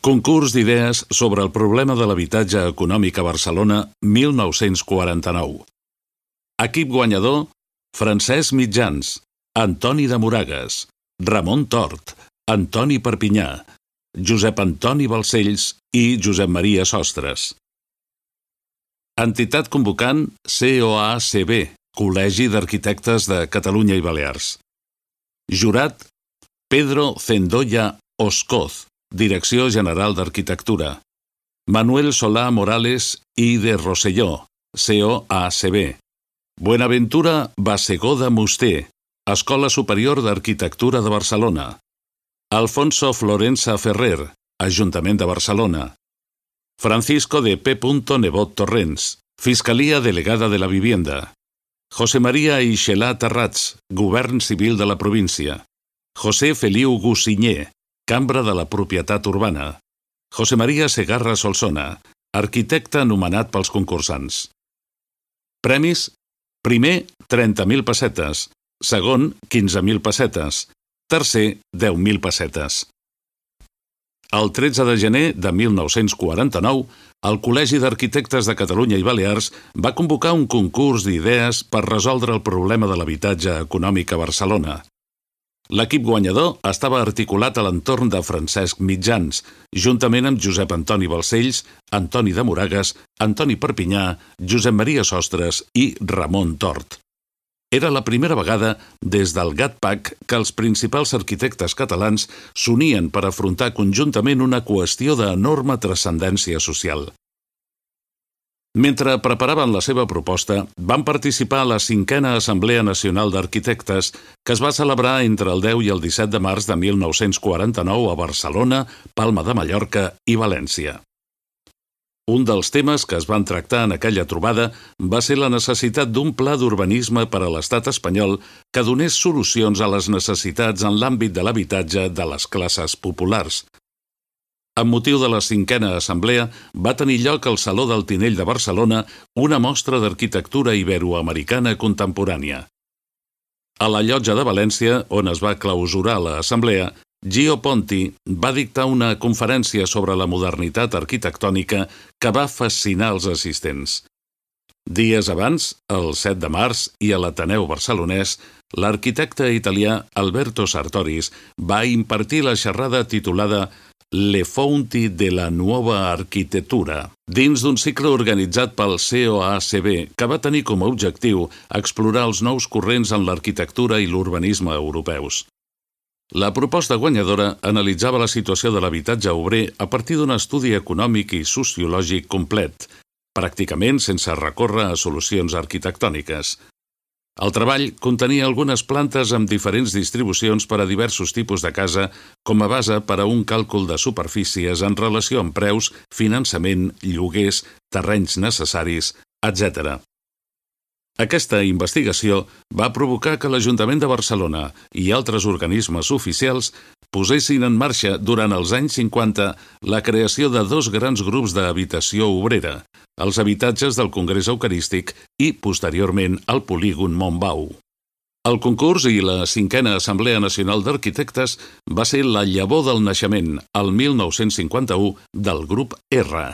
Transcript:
Concurs d'idees sobre el problema de l'habitatge econòmic a Barcelona 1949. Equip guanyador: Francesc Mitjans, Antoni de Moragues, Ramon Tort, Antoni Perpinyà, Josep Antoni Balcells i Josep Maria Sostres. Entitat convocant: COACB, Col·legi d'Arquitectes de Catalunya i Balears. Jurat: Pedro Zendoya Oscoz, Direcció General d'Arquitectura. Manuel Solà Morales i de Rosselló, COACB. Buenaventura Bassegoda Musté, Escola Superior d'Arquitectura de Barcelona. Alfonso Florensa Ferrer, Ajuntament de Barcelona. Francisco de P. Nebot Torrents, Fiscalia Delegada de la Vivienda. José María Ixelà Terrats, Govern Civil de la Província. José Feliu Gussinyer, Cambra de la Propietat Urbana. José María Segarra Solsona, arquitecte anomenat pels concursants. Premis: primer, 30.000 pessetes. Segon, 15.000 pessetes. Tercer, 10.000 pessetes. El 13 de gener de 1949, el Col·legi d'Arquitectes de Catalunya i Balears va convocar un concurs d'idees per resoldre el problema de l'habitatge econòmic a Barcelona. L'equip guanyador estava articulat a l'entorn de Francesc Mitjans, juntament amb Josep Antoni Balcells, Antoni de Moragues, Antoni Perpinyà, Josep Maria Sostres i Ramon Tort. Era la primera vegada des del GATPAC que els principals arquitectes catalans s'unien per afrontar conjuntament una qüestió d'enorme transcendència social. Mentre preparaven la seva proposta, van participar a la 5a Assemblea Nacional d'Arquitectes, que es va celebrar entre el 10 i el 17 de març de 1949 a Barcelona, Palma de Mallorca i València. Un dels temes que es van tractar en aquella trobada va ser la necessitat d'un pla d'urbanisme per a l'estat espanyol que donés solucions a les necessitats en l'àmbit de l'habitatge de les classes populars. Amb motiu de la 5a Assemblea, va tenir lloc al Saló del Tinell de Barcelona una mostra d'arquitectura iberoamericana contemporània. A la Llotja de València, on es va clausurar l'assemblea, Gio Ponti va dictar una conferència sobre la modernitat arquitectònica que va fascinar els assistents. Dies abans, el 7 de març, i a l'Ateneu Barcelonès, l'arquitecte italià Alberto Sartoris va impartir la xerrada titulada Le fonti de la nuova arquitectura, dins d'un cicle organitzat pel COACB, que va tenir com a objectiu explorar els nous corrents en l'arquitectura i l'urbanisme europeus. La proposta guanyadora analitzava la situació de l'habitatge obrer a partir d'un estudi econòmic i sociològic complet, pràcticament sense recórrer a solucions arquitectòniques. El treball contenia algunes plantes amb diferents distribucions per a diversos tipus de casa com a base per a un càlcul de superfícies en relació amb preus, finançament, lloguers, terrenys necessaris, etc. Aquesta investigació va provocar que l'Ajuntament de Barcelona i altres organismes oficials posessin en marxa durant els anys 50 la creació de dos grans grups d'habitació obrera, els habitatges del Congrés Eucarístic i, posteriorment, el polígon Montbau. El concurs i la 5a Assemblea Nacional d'Arquitectes va ser la llavor del naixement, el 1951, del grup R.